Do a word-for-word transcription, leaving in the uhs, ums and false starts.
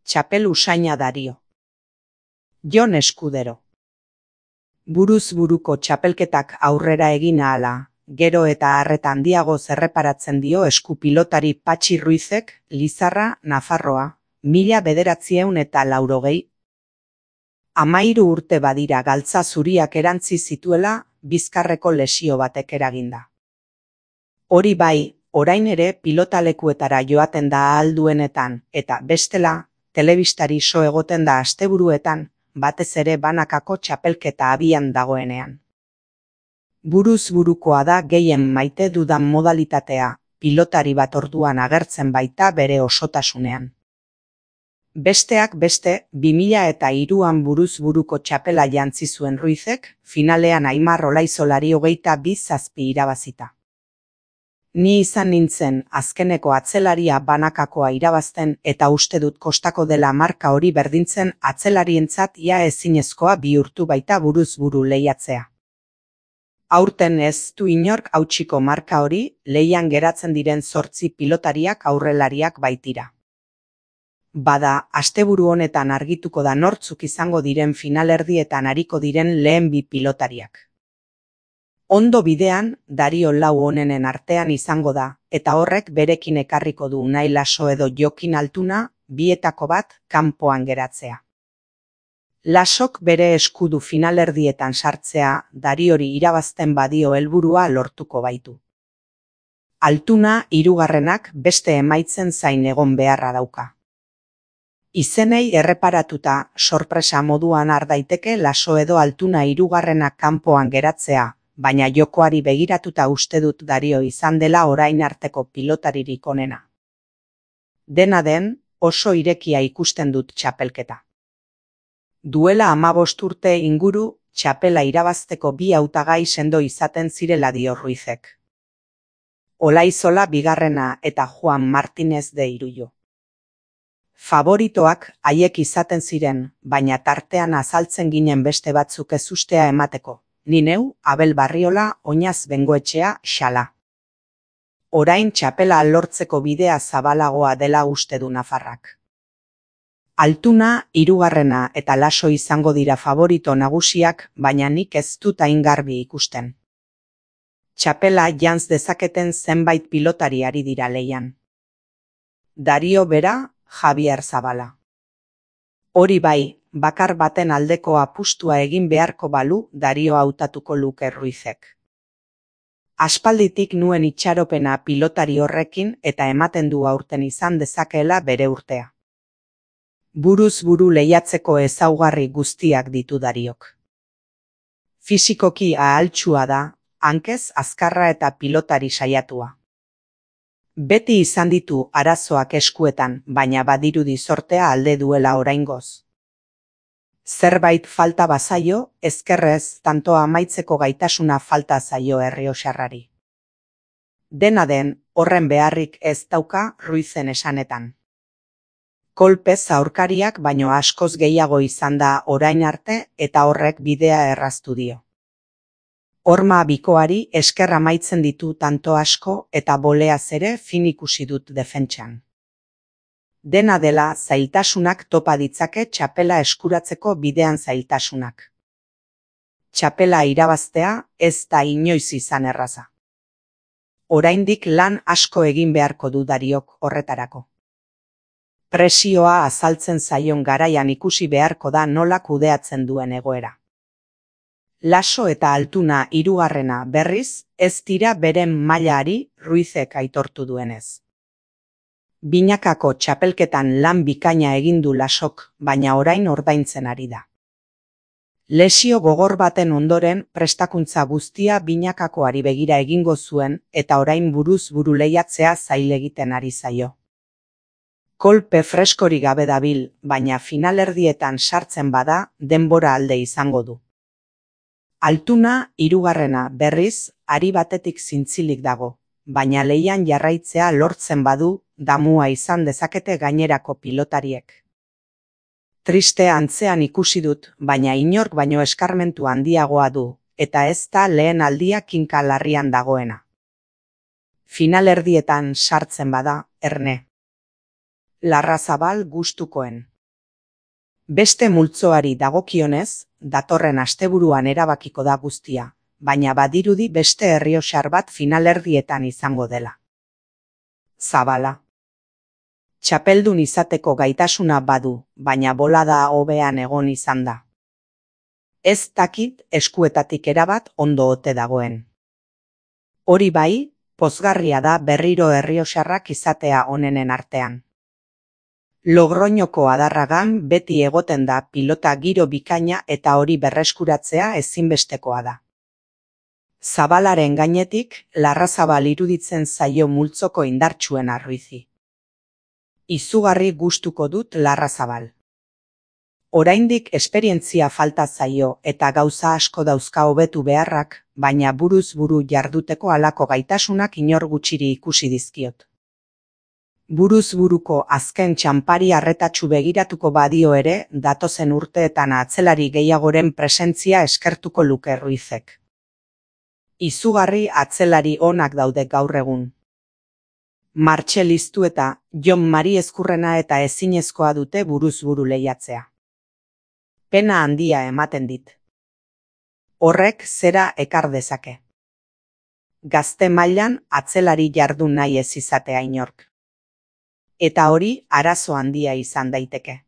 Txapel usaina Dario. Jon Eskudero. Buruz buruko txapelketak aurrera egin ahala, gero eta arreta handiago zerreparatzen dio esku pilotari Patxi Ruizek, Lizarra, Nafarroa, mila bederatzieun eta laurogei. Amairu urte badira galtza zuriak erantzi zituela, bizkarreko lesio batek eraginda. Hori bai, orain ere pilotalekuetara joaten da ahal duenetan, eta bestela, telebistari so egoten da asteburuetan, batez ere banakako txapelketa abian dagoenean. Buruz burukoa da gehien maite dudan modalitatea, pilotari bat orduan agertzen baita bere osotasunean. Besteak beste, bi mila eta hiruan buruz buruko txapela jantzi zuen Ruizek, finalean Aimar Olaizolari hogeita bi zazpi irabazita. Ni izan nintzen azkeneko atzelaria banakakoa irabazten eta uste dut kostako dela marka hori berdintzen atzelarientzat ia ezinezkoa bihurtu baita buruz buru lehiatzea. Aurten ez du inork hautsiko marka hori, lehian geratzen diren zortzi pilotariak aurrelariak baitira. Bada, asteburu honetan argituko da nortzuk izango diren finalerdietan ariko diren lehen bi pilotariak. Ondo bidean, Dario lau onenen artean izango da, eta horrek berekin ekarriko du Unai Laso edo Jokin Altuna, bietako bat, kanpoan geratzea. Lasok bere eskudu finalerdietan sartzea, Dariori irabazten badio helburua lortuko baitu. Altuna, hirugarrenak beste emaitzen zain egon beharra dauka. Izenei erreparatuta, sorpresa moduan har daiteke Laso edo Altuna hirugarrenak kanpoan geratzea, baina jokoari begiratuta uste dut Dario izan dela orain arteko pilotaririk onena. Dena den, oso irekia ikusten dut txapelketa. Duela hamabost urte inguru, txapela irabazteko bi hautagai sendo izaten zirela dio Ruizek. Olaizola bigarrena eta Juan Martinez de Irullo. Favoritoak haiek izaten ziren, baina tartean azaltzen ginen beste batzuk ezustea emateko. Ni neu, Abel Barriola, Oñaz Bengoetxea, xala. Orain txapela lortzeko bidea zabalagoa dela uste du Nafarrak. Altuna, hirugarrena eta Laso izango dira favorito nagusiak, baina nik ez dut hain garbi ikusten. Txapela jantz dezaketen zenbait pilotari ari dira leian. Dario bera, Javier Zabala. Hori bai, bakar baten aldeko apustua egin beharko balu Dario hautatuko luke Ruizek. Aspalditik nuen itxaropena pilotari horrekin eta ematen du aurten izan dezakeela bere urtea. Buruz buru lehiatzeko ezaugarri guztiak ditu Dariok. Fisikoki ahaltsua da, hankez azkarra eta pilotari saiatua. Beti izan ditu arazoak eskuetan, baina badirudi sortea alde duela oraingoz. Zerbait falta bazaio, ezkerrez tantoa amaitzeko gaitasuna falta zaio errioxarrari. Dena den, horren beharrik ez dauka Ruizen esanetan. Kolpez aurkariak baino askoz gehiago izan da orain arte eta horrek bidea erraztu dio. Horma bikoari esker amaitzen ditu tanto asko eta boleaz ere fin ikusi dut defentsan. Dena dela zailtasunak topa ditzake txapela eskuratzeko bidean zailtasunak. Txapela irabaztea ez da inoiz izan erraza. Oraindik lan asko egin beharko du Dariok horretarako. Presioa azaltzen zaion garaian ikusi beharko da nola kudeatzen duen egoera. Laso eta Altuna hirugarrena berriz, ez dira beren mailari Ruizek aitortu duenez. Binakako txapelketan lan bikaina egin du Lasok, baina orain ordaintzen ari da. Lesio gogor baten ondoren prestakuntza guztia binakakoari begira egingo zuen eta orain buruz buru lehiatzea zail egiten ari zaio. Kolpe freskori gabe dabil, baina finalerdietan sartzen bada denbora alde izango du. Altuna hirugarrena berriz, ari batetik zintzilik dago, baina lehian jarraitzea lortzen badu, damua izan dezakete gainerako pilotariek. Triste antzean ikusi dut, baina inork baino eskarmentu handiagoa du, eta ez da lehen aldia kinka larrian dagoena. Finalerdietan sartzen bada, erne. Larrazabal gustukoen. Beste multzoari dagokionez, datorren asteburuan erabakiko da guztia, baina badirudi beste errioxar bat finalerdietan izango dela. Zabala. Txapeldun izateko gaitasuna badu, baina bolada hobean egon izan da. Ez dakit eskuetatik erabat ondo ote dagoen. Hori bai, pozgarria da berriro errioxarrak izatea onenen artean. Logroñoko adarragan beti egoten da pilota giro bikaina eta hori berreskuratzea ezinbestekoa da. Zabalaren gainetik, Larrazabal iruditzen zaio multzoko indartsuena Ruizi. Izugarri gustuko dut Larrazabal. Oraindik esperientzia falta zaio eta gauza asko dauzka hobetu beharrak, baina buruz buru jarduteko halako gaitasunak inor gutxiri ikusi dizkiot. Buruz buruko azken txanpari arretatsu begiratuko badio ere, datozen urteetan atzelari gehiagoren presentzia eskertuko luke Ruizek. Izugarri atzelari onak daude gaur egun. Martxel Iztueta, Jon Mari Ezkurrena eta ezinezkoa dute buruz buru lehiatzea. Pena handia ematen dit. Horrek zera ekar dezake. Gazte mailan atzelari jardun nahi ez izatea inork. Eta hori arazo handia izan daiteke.